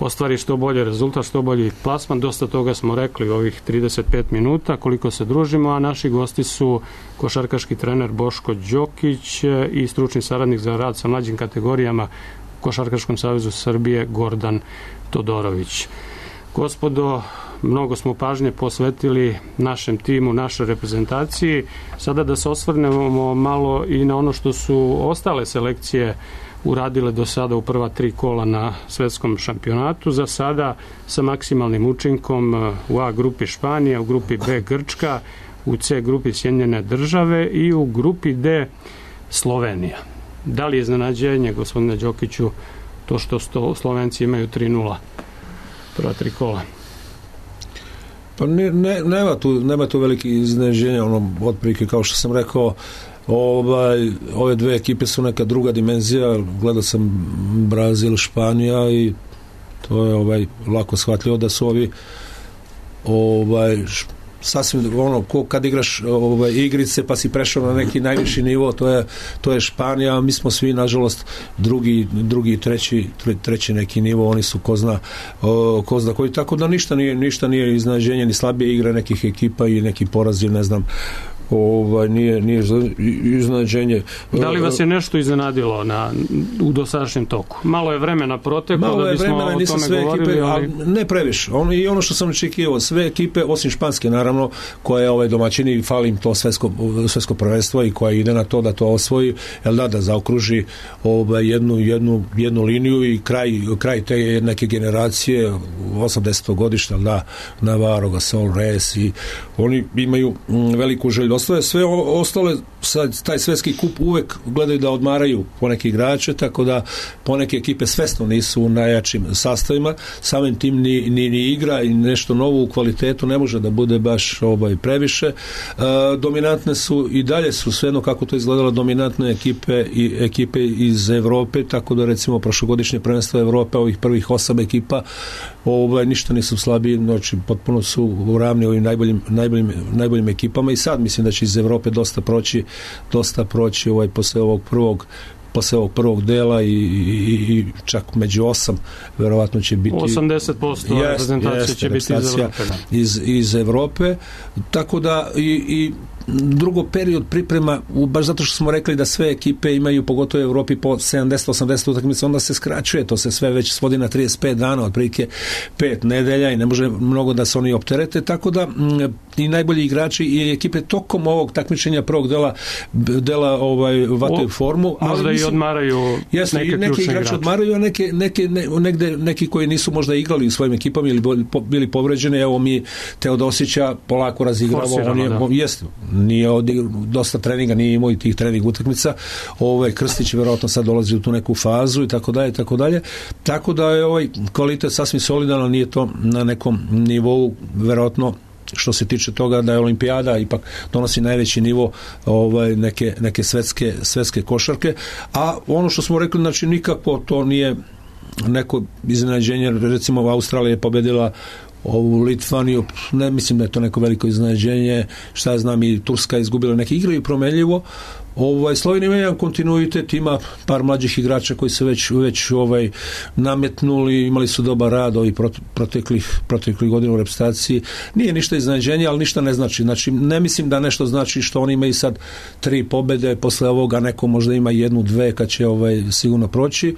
ostvari što bolje rezultat, što bolji plasman. Dosta toga smo rekli u ovih 35 minuta koliko se družimo, a naši gosti su košarkaški trener Boško Đokić i stručni saradnik za rad sa mlađim kategorijama u Košarkaškom savezu Srbije Gordan Todorović. Gospodo, mnogo smo pažnje posvetili našem timu, našoj reprezentaciji. Sada da se osvrnemo malo i na ono što su ostale selekcije uradile do sada u prva 3 kola na svetskom šampionatu. Za sada sa maksimalnim učinkom u A grupi Španija, u grupi B Grčka, u C grupi Sjedinjene Države i u grupi D Slovenija. Da li je iznenađenje, gospodine Đokiću, to što Slovenci imaju 3-0 prva 3 kola? Pa nema tu veliki iznenađenja, otprilike kao što sam rekao, ove dve ekipe su neka druga dimenzija. Gledao sam Brazil, Španija i to je lako shvatljivo da su ovi sasvim kad igraš igrice pa si prešao na neki najviši nivo, to je Španija, a mi smo svi nažalost drugi treći neki nivo, oni su ko zna koji, tako da ništa nije iznenađenje, ni slabije igre nekih ekipa i neki porazi, ne znam, nije iznenađenje. Da li vas je nešto iznenadilo u dosadašnjem toku? Malo je vremena proteklo da bismo o tome govorili, ali ne previše. I ono što sam očekivao, sve ekipe osim Španske, naravno, koja je domaćini, fali im to svetsko prvenstvo i koja ide na to da to osvoji, da zaokruži jednu liniju i kraj te neke generacije 80. godišta, Navarro, Gasol, Reyes, i oni imaju veliku želju. Sve ostale, taj svetski kup uvek gledaju da odmaraju poneke igrače, tako da poneke ekipe svesno nisu u najjačim sastavima, samim tim ni igra i nešto novo u kvalitetu ne može da bude baš previše. Dominantne su i dalje su svejedno kako to izgledalo dominantne ekipe iz Evrope, tako da recimo prošlogodišnje prvenstvo Evrope, ovih prvih 8 ekipa ništa nisu slabiji, znači potpuno su u ravni ovim najboljim ekipama i sad mislim da će iz Evrope dosta proći posle ovog prvog dela i čak među 8 verovatno će biti 80% reprezentacije će biti iz Evrope. Iz Evrope, tako da i drugo period priprema, baš zato što smo rekli da sve ekipe imaju, pogotovo u Evropi, po 70-80 utakmica, onda se skraćuje, to se sve već svodi na 35 dana, otprilike 5 nedelja i ne može mnogo da se oni opterete, tako da i najbolji igrači i ekipe tokom ovog takmičenja prvog dela vataju formu. Možda i odmaraju neki igrači odmaraju, a neki koji nisu možda igrali u svojim ekipama ili bili povređeni. Evo mi Teodosića polako razigramo, nije dosta treninga, nije imao i tih trening utakmica. Krstić verovatno sad dolazi u tu neku fazu i tako dalje. Tako da je ovaj kvalitet sasvim solidan, nije to na nekom nivou verovatno što se tiče toga da je olimpijada ipak donosi najveći nivo neke svetske košarke, a ono što smo rekli, znači nikako to nije neko iznenađenje, recimo Australija je pobedila ovu Litvaniju, ne mislim da je to neko veliko iznenađenje, šta ja znam, i Turska je izgubila neke igre i promenljivo. Slovenija ima jedan kontinuitet, ima par mlađih igrača koji se već nametnuli, imali su dobar rad ovih proteklih godina u reprezentaciji. Nije ništa iznenađenje, ali ništa ne znači. Znači, ne mislim da nešto znači što oni imaju sad 3 pobede, posle ovoga neko možda ima 1-2 kad će sigurno proći.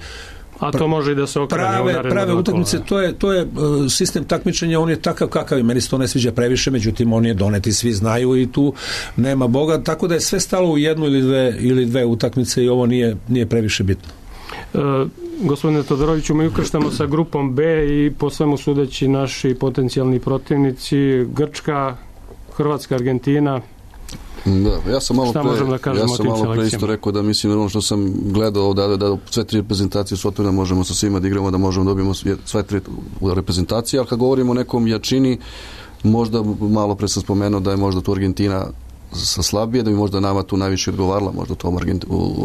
A to može i da se okrene prave utakmice, to je sistem takmičenja, on je takav kakav je, meni se to ne sviđa previše, međutim on je donet i svi znaju i tu nema Boga, tako da je sve stalo u 1 ili 2 utakmice i ovo nije previše bitno. Gospodine Todoroviću, mi ukrštamo sa grupom B i po svemu sudeći naši potencijalni protivnici Grčka, Hrvatska, Argentina. Da, ja sam malo pre isto rekao da mislim ono što sam gledao da sve 3 reprezentacije su otvorene, možemo sa svima da igramo, da možemo da dobijemo sve 3 reprezentacije, ali kad govorimo o nekom jačini, možda malo pre sam spomenuo da je možda tu Argentina sa slabije, da bi možda nama tu najviše odgovarala, možda tom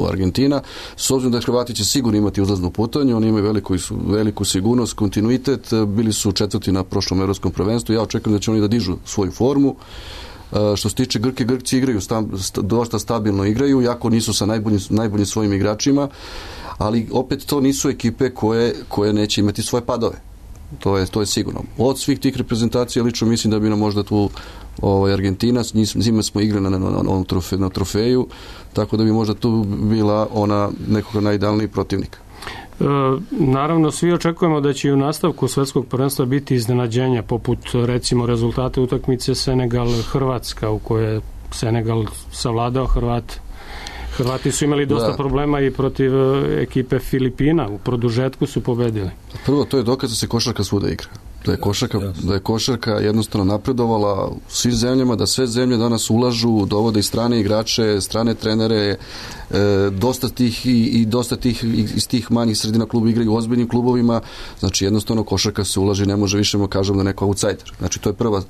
Argentina. S obzirom da Hrvati će sigurno imati uzlaznu putanju, oni imaju veliku sigurnost, kontinuitet, bili su 4. na prošlom evropskom prvenstvu, ja očekujem da će oni da dižu svoju formu. Što se tiče Grci igraju, dosta stabilno igraju, jako nisu sa najboljim svojim igračima, ali opet to nisu ekipe koje neće imati svoje padove. To je sigurno. Od svih tih reprezentacija lično mislim da bi nam možda tu Argentina, njima smo igrali na trofeju, tako da bi možda tu bila ona nekog najidealniji protivnik. Naravno, svi očekujemo da će i u nastavku svetskog prvenstva biti iznenađenja, poput recimo rezultate utakmice Senegal-Hrvatska, u kojoj je Senegal savladao Hrvati su imali dosta problema i protiv ekipe Filipina, u produžetku su pobedili. Prvo, to je dokaz da se košarka svuda igra. Da je košarka jednostavno napredovala u svim zemljama, da sve zemlje danas ulažu, dovode i strane igrače, strane trenere, dosta tih iz tih manjih sredina kluba igraju u ozbiljnim klubovima, znači jednostavno košarka se ulaži, ne može više kažem da neko outsider. Znači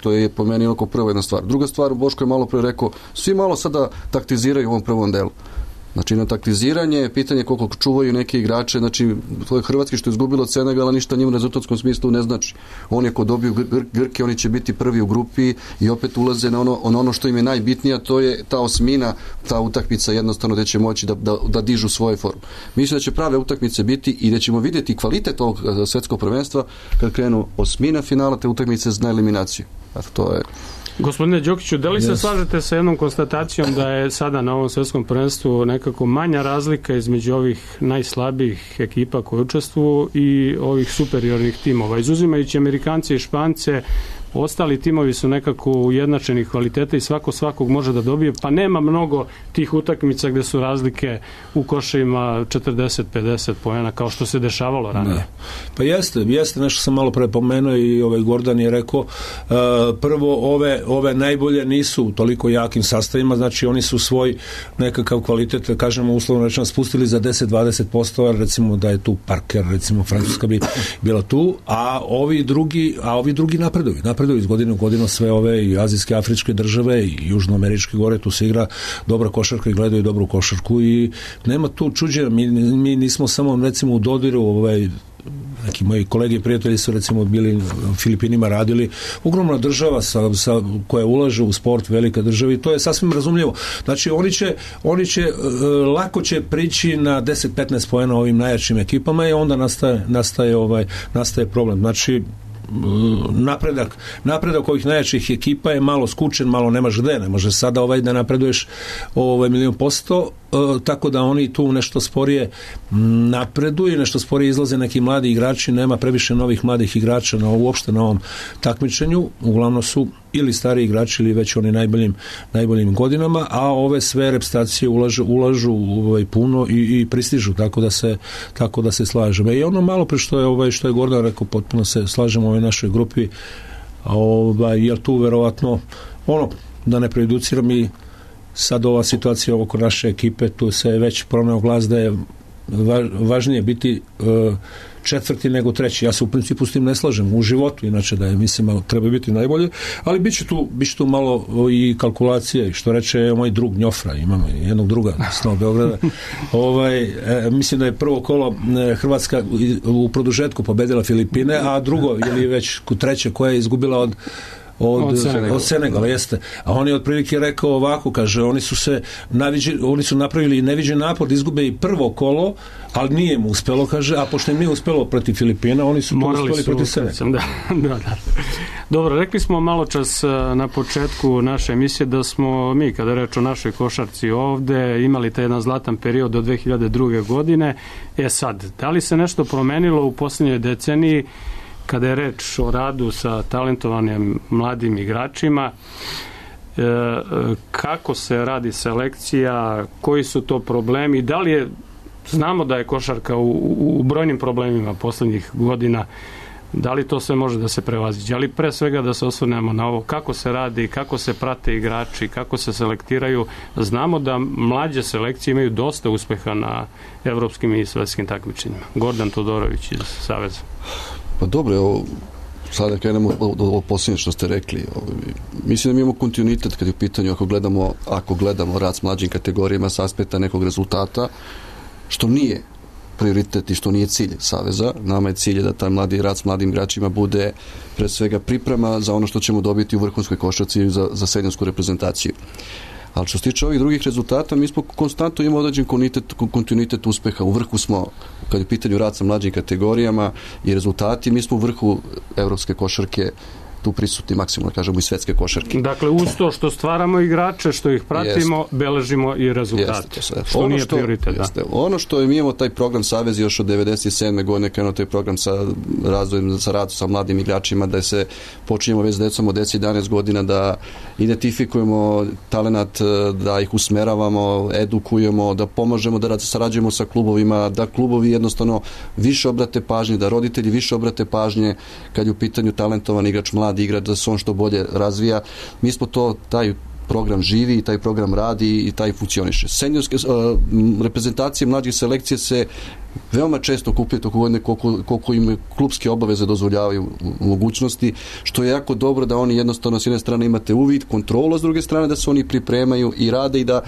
to je po meni onako prva jedna stvar. Druga stvar, Boško je malo pre rekao, svi malo sada taktiziraju u ovom prvom delu. Znači, na taktiziranje, pitanje koliko čuvaju neke igrače, znači, to je Hrvatski što je izgubilo od Senegala, ništa njim u rezultatskom smislu ne znači. Oni ako dobiju Grke, oni će biti prvi u grupi i opet ulaze na ono što im je najbitnije, to je ta osmina, ta utakmica jednostavno gde će moći da dižu svoje formu. Mislim da će prave utakmice biti i da ćemo vidjeti kvalitet ovog svetskog prvenstva kad krenu osmina finala te utakmice na eliminaciju. To je... Gospodine Đokiću, da li se slažete sa jednom konstatacijom da je sada na ovom svetskom prvenstvu nekako manja razlika između ovih najslabijih ekipa koje učestvuju i ovih superiornih timova? Izuzimajući Amerikance i Špance, ostali timovi su nekako ujednačenih kvaliteta i svakog može da dobije, pa nema mnogo tih utakmica gde su razlike u koševima 40-50 poena kao što se dešavalo ranije. Ne. Pa jeste, nešto sam malo pre pomenuo i Gordan je rekao, prvo ove najbolje nisu u toliko jakim sastavima, znači oni su svoj nekakav kvalitet, kažemo uslovno rečeno, spustili za 10-20%, recimo da je tu Parker, recimo Francuska bi bila tu, a ovi drugi napreduju iz godine u godinu, sve ove i azijske, afričke države i južnoameričke gore, tu se igra dobra košarka i gledaju dobru košarku i nema tu čuđenja, mi nismo samo recimo u dodiru, neki moji kolege i prijatelji su recimo bili u Filipinima radili, ogromna država koja ulaže u sport, velika država i to je sasvim razumljivo. Znači oni će lako će prići na 10-15 poena ovim najjačim ekipama i onda nastaje problem. Znači napredak ovih najjačih ekipa je malo skučen, malo nemaš gde, ne može sada da napreduješ 1,000%, tako da oni tu nešto sporije napreduju, nešto sporije izlaze neki mladi igrači, nema previše novih mladih igrača uopšte na ovom takmičenju, uglavnom su ili stari igrači ili već oni najboljim godinama, a ove sve reprezentacije ulažu puno i pristižu, tako da se slažemo. I ono malo pre što je Gordan rekao, potpuno se slažemo u ovoj našoj grupi, jer tu verovatno da ne prejuduciram, i sad ova situacija oko naše ekipe, tu se već proneo glas da je važnije biti četvrti nego treći. Ja se u principu s tim ne slažem u životu, inače da je, mislim, treba biti najbolje, ali bit će tu malo i kalkulacije, što reče moj drug Njofra, imamo jednog druga s Novog Beograda. Mislim da je prvo kolo Hrvatska u produžetku pobedila Filipine, a drugo, ili već treće, koja je izgubila od Senegala, jeste. A on je otprilike rekao ovako, kaže, oni su napravili neviđen napor da izgube i prvo kolo, ali nije mu uspelo, kaže, a pošto im nije uspelo protiv Filipina, oni su to uspeli protiv Senegala. Da. Dobro, rekli smo malo čas na početku naše emisije da smo mi, kada je reč o našoj košarci ovde, imali taj jedan zlatan period do 2002. godine. Sad, da li se nešto promenilo u posljednjoj deceniji kada je reč o radu sa talentovanim mladim igračima, kako se radi selekcija, koji su to problemi, da li je, znamo da je košarka u brojnim problemima poslednjih godina, da li to sve može da se prevaziđe, ali pre svega da se osvrnemo na ovo, kako se radi, kako se prate igrači, kako se selektiraju. Znamo da mlađe selekcije imaju dosta uspeha na evropskim i svetskim takmičenjima. Gordan Todorović iz Saveza. Pa dobro, sada krenemo od ovo posljednje što ste rekli. Mislim da mi imamo kontinuitet kad je u pitanju, ako gledamo rad s mlađim kategorijama s aspekta nekog rezultata, što nije prioritet i što nije cilj Saveza. Nama je cilj da taj mladi rad s mladim igračima bude pre svega priprema za ono što ćemo dobiti u vrhunskoj košarci za seniorsku reprezentaciju. Ali što se tiče ovih drugih rezultata, mi smo konstantno imamo određen kontinuitet uspeha. U vrhu smo, kad je u pitanju rad sa mlađim kategorijama i rezultati, mi smo u vrhu evropske košarke tu prisutni maksimalno, kažemo, i svetske košarke. Dakle, uz to što stvaramo igrače, što ih pratimo, beležimo i rezultate. Što nije prioritet. Ono što mi imamo taj program Savez još od 97. godine, krenuo taj program sa razvojem, sa radom sa mladim igračima, da se počinjemo već s decom od 10-11 godina, da identifikujemo talenat, da ih usmeravamo, edukujemo, da pomažemo, da sarađujemo sa klubovima, da klubovi jednostavno više obrate pažnje, da roditelji više obrate pažnje kad je u pitanju talentovan igrač, mladi igrač, da se on što bolje razvija. Mi smo taj program živi, taj program radi i taj funkcioniše. Seniorske reprezentacije mlađih selekcije se veoma često okupljaju toliko godine koliko im klubske obaveze dozvoljavaju mogućnosti, što je jako dobro da oni jednostavno s jedne strane imate uvid, kontrolu, a s druge strane da se oni pripremaju i rade i da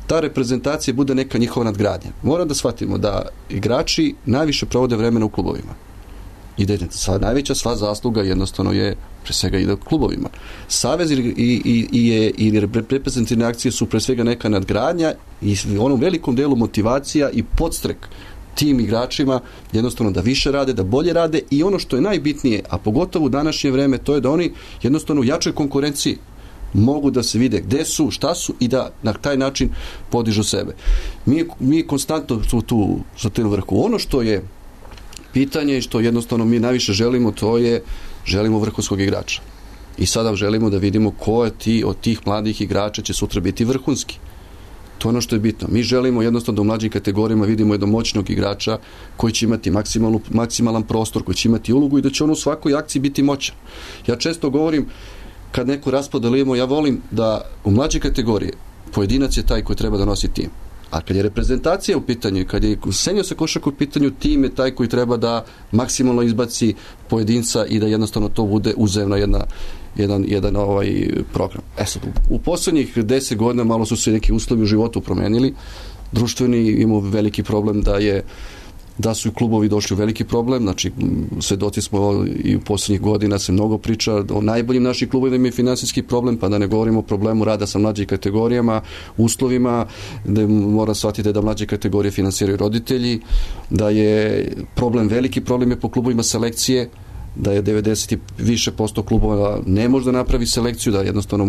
ta reprezentacija bude neka njihova nadgradnja. Moram da shvatimo da igrači najviše provode vremena u klubovima. I da najveća sva zasluga jednostavno je pre svega ide klubovima. Savez i reprezentativne akcije su pre svega neka nadgradnja i u onom velikom delu motivacija i podstrek tim igračima jednostavno da više rade, da bolje rade i ono što je najbitnije, a pogotovo u današnje vreme, to je da oni jednostavno u jačoj konkurenciji mogu da se vide gde su, šta su i da na taj način podižu sebe. Mi konstantno su tu za tim vrhu. Ono što je pitanje i što jednostavno mi najviše želimo, to je želimo vrhunskog igrača. I sada želimo da vidimo ko je od tih mladih igrača će sutra biti vrhunski. To je ono što je bitno. Mi želimo jednostavno da u mlađim kategorijama vidimo jednog moćnog igrača koji će imati maksimalan prostor, koji će imati ulogu i da će on u svakoj akciji biti moćan. Ja često govorim, kad neku raspodelimo, ja volim da u mlađe kategorije pojedinac je taj koji treba da nosi tim. A kad je reprezentacija u pitanju, kad je seniorska košarka u pitanju, tim je taj koji treba da maksimalno izbaci pojedinca i da jednostavno to bude uzemno jedan program. Sad, u poslednjih 10 godina malo su se neki uslovi u životu promenili. Društveni imamo veliki problem da su i klubovi došli u veliki problem, znači svedoci smo i u poslednjih godina se mnogo priča o najboljim naših klubovima imaju finansijski problem, pa da ne govorimo o problemu rada sa mlađim kategorijama, uslovima, da mora shvatiti da mlađe kategorije finansiraju roditelji, da je veliki problem je po klubovima selekcije, da je 90 i više posto klubova ne može da napravi selekciju, da jednostavno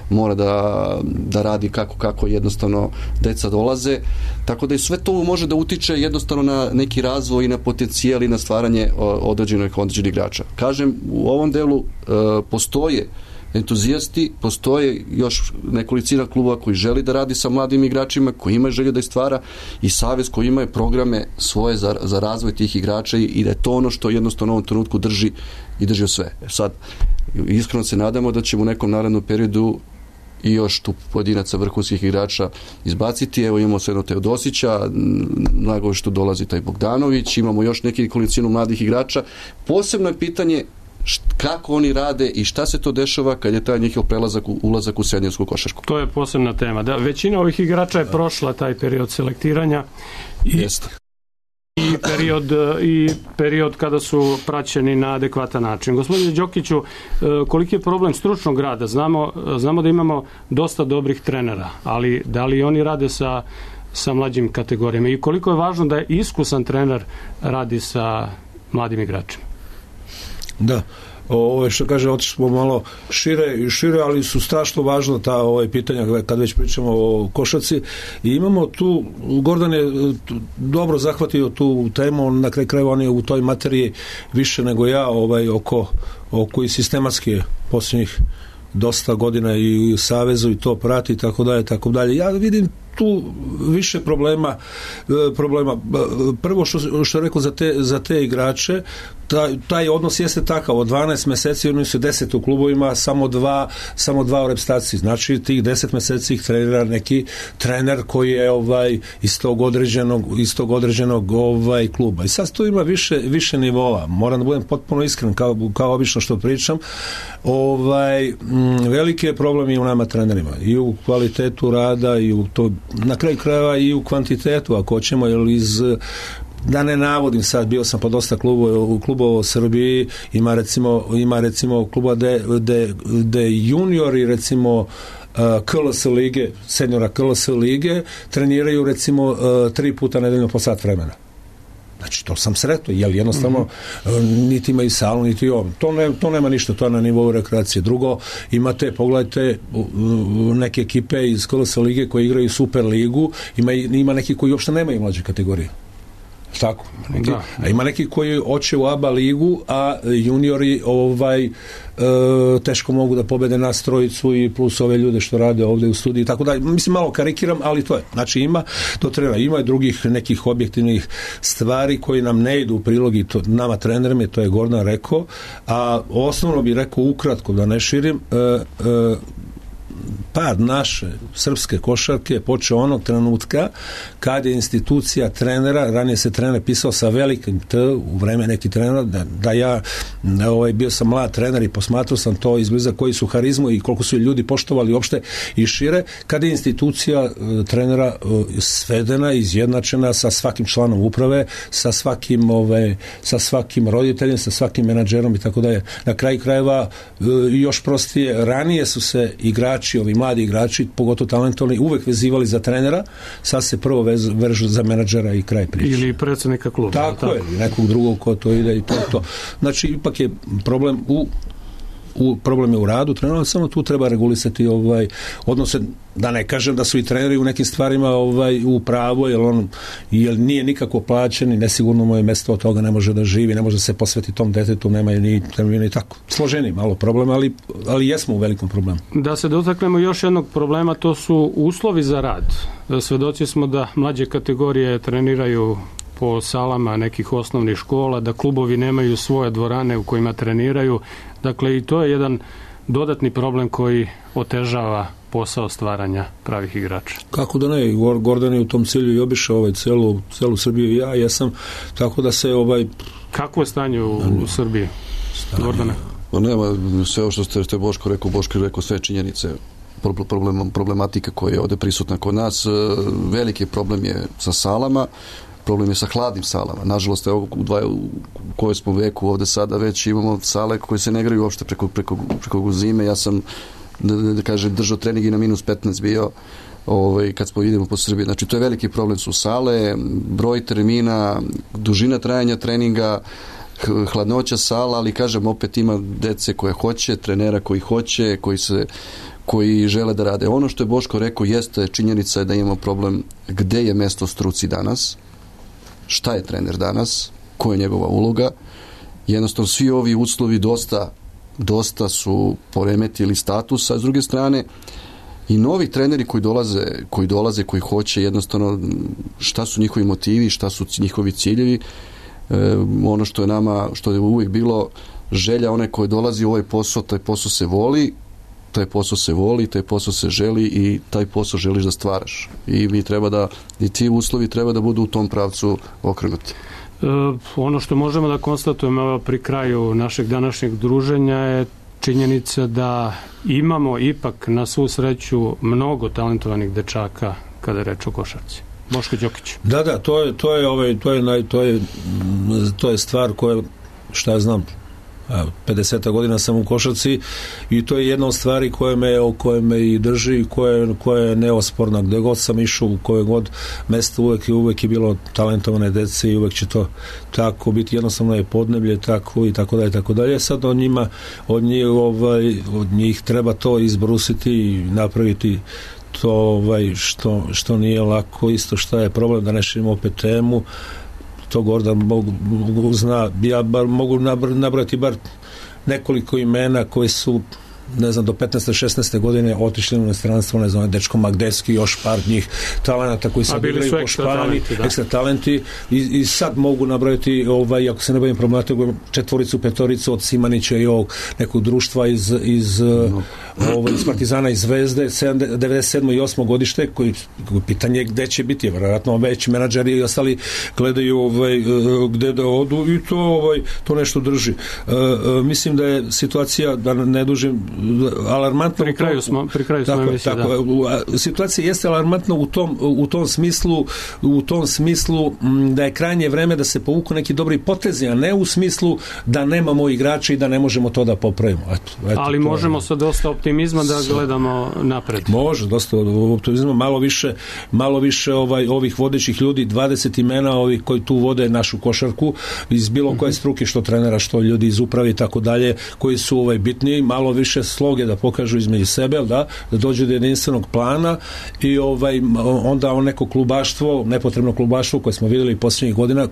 mora da radi kako jednostavno deca dolaze, tako da i sve to može da utiče jednostavno na neki razvoj i na potencijal i na stvaranje određenih igrača. Kažem, u ovom delu postoje entuzijasti, postoje još nekolicina klubova koji želi da radi sa mladim igračima, koji ima želju da ih stvara, i savez koji ima programe svoje za razvoj tih igrača, i da je to ono što jednostavno u ovom trenutku drži sve. Sad, iskreno se nadamo da ćemo u nekom narednom periodu i još tu pojedinaca vrhunskih igrača izbaciti. Evo imamo sve jedno Teodosića, nago što dolazi taj Bogdanović, imamo još nekolicinu mladih igrača. Posebno je pitanje kako oni rade i šta se to dešava kad je taj njihov ulazak u seniorsku košarku. To je posebna tema. Da, većina ovih igrača je prošla taj period selektiranja i period kada su praćeni na adekvatan način. Gospodine Đokiću, koliki je problem stručnog rada? Znamo da imamo dosta dobrih trenera, ali da li oni rade sa mlađim kategorijama i koliko je važno da je iskusan trener radi sa mladim igračima? Da, što kaže, otišli smo malo šire, ali su strašno važna ta pitanja kad već pričamo o košarci, i imamo tu, Gordan je dobro zahvatio tu temu, na kraju krajeva on je u toj materiji više nego ja oko i sistematski posljednjih dosta godina i u savezu i to prati i tako dalje. Ja vidim tu više problema. Prvo što je rekao za te igrače, taj odnos jeste takav, od 12 meseci oni su 10 u klubovima, samo dva u reprezentaciji. Znači tih 10 meseci ih trenira neki trener koji je iz tog određenog kluba. I sad tu ima više nivoa. Moram da budem potpuno iskren, kao obično što pričam. Veliki je problem i u nama trenerima, i u kvalitetu rada, i u to, na kraju krajeva i u kvantitetu, ako hoćemo, jer da ne navodim sad, bio sam po dosta klubova u Srbiji, ima recimo kluba gde juniori recimo KLS lige, seniora KLS lige treniraju recimo 3 puta nedeljno po sat vremena. Znači, to sam sretno, jer jednostavno niti imaju salu, niti ovo. To nema ništa, to je na nivou rekreacije. Drugo, pogledajte neke ekipe iz KLS lige koje igraju Super ligu, ima neki koji uopšte nemaju mlađe kategorije. Tako, a ima neki koji hoće u ABA ligu, a juniori teško mogu da pobede nas trojicu i plus ove ljude što rade ovde u studiji, tako da, mislim, malo karikiram, ali to je. Znači ima i drugih nekih objektivnih stvari koji nam ne idu u prilog, i to nama trenerima, to je Gordan rekao, a osnovno bih rekao ukratko, da ne širim, pad naše srpske košarke počeo onog trenutka kad je institucija trenera, ranije se trener pisao sa velikim T u vreme neki trenera, da ja bio sam mlad trener i posmatrao sam to izbliza koji su harizmu i koliko su ljudi poštovali uopšte i šire, kada je institucija trenera svedena, izjednačena sa svakim članom uprave, sa svakim roditeljem, sa svakim menadžerom i tako dalje. Na kraju krajeva još prostije, ranije su se igrači, ovi mladi igrači, pogotovo talentovani, uvek vezivali za trenera, sad se prvo vežu za menadžera i kraj priče. Ili predsjednika kluba. Tako je, nekog drugog ko to ide i to. Znači, ipak je problem problem je u radu trenera, samo tu treba regulisati odnose, da ne kažem da su i treneri u nekim stvarima u pravu, jer nije nikako plaćen i nesigurno mu je mesto od toga, ne može da živi, ne može da se posveti tom detetu, nema ni termina i tako. Složeni malo problem, ali jesmo u velikom problemu. Da se dotaknemo još jednog problema, to su uslovi za rad. Svedoci smo da mlađe kategorije treniraju po salama nekih osnovnih škola, da klubovi nemaju svoje dvorane u kojima treniraju. Dakle, i to je jedan dodatni problem koji otežava posao stvaranja pravih igrača. Kako da ne, Gordan je u tom cilju i obišao celu Srbiju i ja jesam, tako da se Kako je stanje u Srbiji, Gordane? Nema, sve ovo što ste Boško rekao sve činjenice, problematika koja je ovde prisutna kod nas. Veliki problem je sa salama, problem je sa hladnim salama. Nažalost, evo u kojoj smo veku ovde sada već imamo sale koje se ne igraju uopšte preko zime. Ja sam, da kažem, držao trening i na -15 bio kad smo idemo po Srbiji. Znači, to je veliki problem, su sale, broj termina, dužina trajanja treninga, hladnoća sala, ali kažem, opet ima dece koje hoće, trenera koji hoće, koji žele da rade. Ono što je Boško rekao jeste činjenica je da imamo problem gde je mesto struci danas, šta je trener danas, koja je njegova uloga. Jednostavno svi ovi uslovi dosta su poremetili status, a s druge strane i novi treneri koji dolaze, koji hoće jednostavno šta su njihovi motivi, šta su njihovi ciljevi. Ono što je nama, što je uvijek bilo želja, onaj koji dolazi u ovaj posao, taj posao se voli, taj posao se želi i taj posao želiš da stvaraš. I mi treba da, i ti uslovi treba da budu u tom pravcu okrenuti. Ono što možemo da konstatujemo pri kraju našeg današnjeg druženja je činjenica da imamo ipak na svu sreću mnogo talentovanih dečaka kada je reč o košarci. Boško Đokić. Da, to je stvar koja, šta ja znam, 50 godina sam u košarci i to je jedna od stvari koja me i drži, koja je neosporna. Gde god sam išao, u koje god mesto, uvek je bilo talentovane dece i uvek će to tako biti. Jednostavno je podneblje tako i tako dalje. Sad od njih treba to izbrusiti i napraviti to što nije lako. Isto šta je problem, da ne širimo opet temu, to Gordan mogu zna, ja mogu nabrati bar nekoliko imena koji su, ne znam, do 15. 16. godine otišli u inostranstvo, ne znam, dečko Magdevski, još par njih talenata koji sad igraju po Španiji, ekstra talenti i sad mogu nabrati, ako se ne bavim problematikom, 4, 5 od Simanića i ovog nekog društva iz Partizana i Zvezde, 97. i 8. godište, koji pitanje gde će biti, vjerojatno već menadžeri i ostali gledaju gde da odu i to nešto drži. Mislim da je situacija, da ne dužim, alarmantno. Pri kraju smo emisije, da. Situacija jeste alarmantna u tom smislu da je krajnje vreme da se povuku neki dobri potezi, a ne u smislu da nemamo igrača i da ne možemo to da popravimo. Ali možemo sa dosta optimizma da gledamo napred. Može, dosta optimizma, malo više ovih vodećih ljudi, 20 imena ovih koji tu vode našu košarku iz bilo koje struke, što trenera, što ljudi iz uprave i tako dalje, koji su bitniji, malo više sloge da pokažu između sebe, da dođe do jedinstvenog plana i onda neko klubaštvo, nepotrebno klubaštvo koje smo vidjeli posljednjih godina,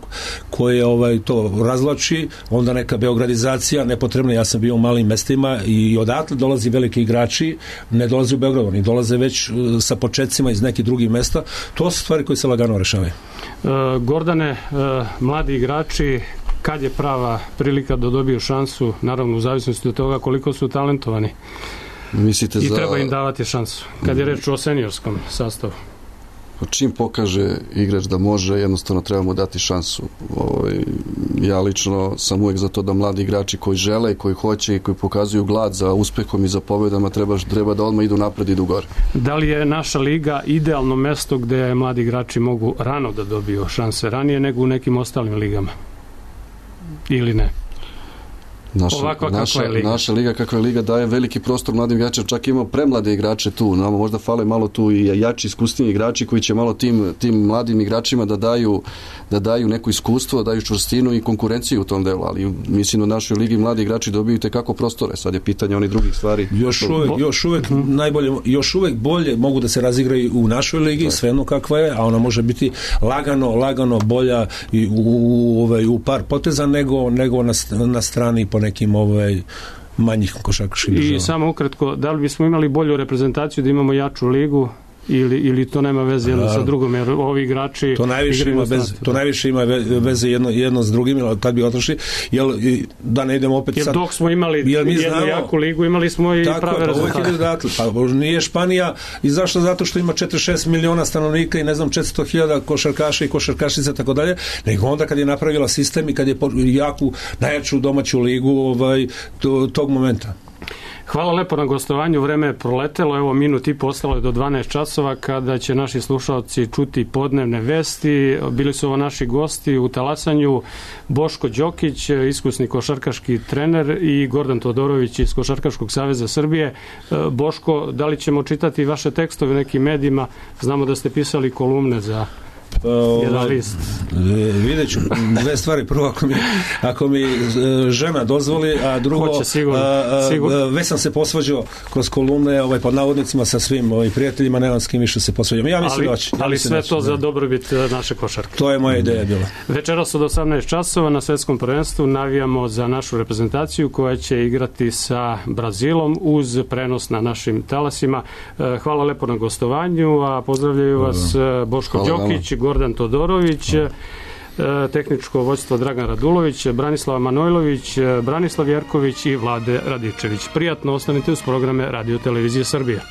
koje to razlači, onda neka beogradizacija nepotrebna. Ja sam bio u malim mestima i odatle dolazi veliki igrači, ne dolazi u Beograd, oni dolaze već sa početcima iz nekih drugih mesta. To su stvari koje se lagano rešavaju. Gordane, mladi igrači, kad je prava prilika da dobiju šansu, naravno u zavisnosti od toga koliko su talentovani? I treba im davati šansu, kad je reč o seniorskom sastavu. Čim pokaže igrač da može, jednostavno treba mu dati šansu. Ja lično sam uvijek za to da mladi igrači koji žele, koji hoće i koji pokazuju glad za uspehom i za pobedama treba da odmah idu napred i idu gore. Da li je naša liga idealno mesto gde mladi igrači mogu rano da dobiju šanse, ranije nego u nekim ostalim ligama? Ili ne? Naša liga kakva je liga daje veliki prostor mladim igračima, čak imamo premlade igrače tu, nama možda fale malo tu i jači, iskusniji igrači koji će malo tim mladim igračima da daju neko iskustvo, da daju čvrstinu i konkurenciju u tom delu, ali mislim da u našoj ligi mladi igrači dobiju tekako prostore, sad je pitanje onih drugih stvari. Još uvek bolje mogu da se razigraju u našoj ligi, svejedno kakva je, a ona može biti lagano bolja i u par poteza nego na strani po nekim manjih košarkaških država. I samo ukratko, da li bismo imali bolju reprezentaciju da imamo jaču ligu ili to nema veze jedno sa drugom, jer ovi igrači to najviše ima veze jedno s drugim, ali tad bi otišli, da ne idemo opet sad, jer dok smo imali jednu jaku ligu, imali smo i prave rezultate. Nije Španija izašla zato što ima 4-6 miliona stanovnika i ne znam 400.000 košarkaša i košarkašica tako dalje, nego onda kad je napravila sistem i kad je najjaču domaću ligu tog momenta. Hvala lepo na gostovanju, vreme je proletelo, evo minut i po ostalo je do 12 časova kada će naši slušalci čuti podnevne vesti. Bili su ovo naši gosti u talasanju, Boško Đokić, iskusni košarkaški trener, i Gordan Todorović iz Košarkaškog saveza Srbije. Boško, da li ćemo čitati vaše tekstove u nekim medijima? Znamo da ste pisali kolumne za jedan list. Vidjet ću dve stvari. Prvo, ako mi žena dozvoli, a drugo, već sam se posvađao kroz kolumne, pod navodnicima sa svim prijateljima, nemam s kim više se posvađam. Ja mislim ali sve to za dobrobit naše košarke. To je moja ideja bila. Večeras od 18 časova na svetskom prvenstvu navijamo za našu reprezentaciju koja će igrati sa Brazilom uz prenos na našim talasima. Hvala lepo na gostovanju, a pozdravljaju vas Boško Đokić, Gordan Todorović, tehničko vođstvo Dragan Radulović, Branislava Manojlović, Branislav Jerković i Vlade Radičević. Prijatno ostanite uz programe Radio Televizije Srbije.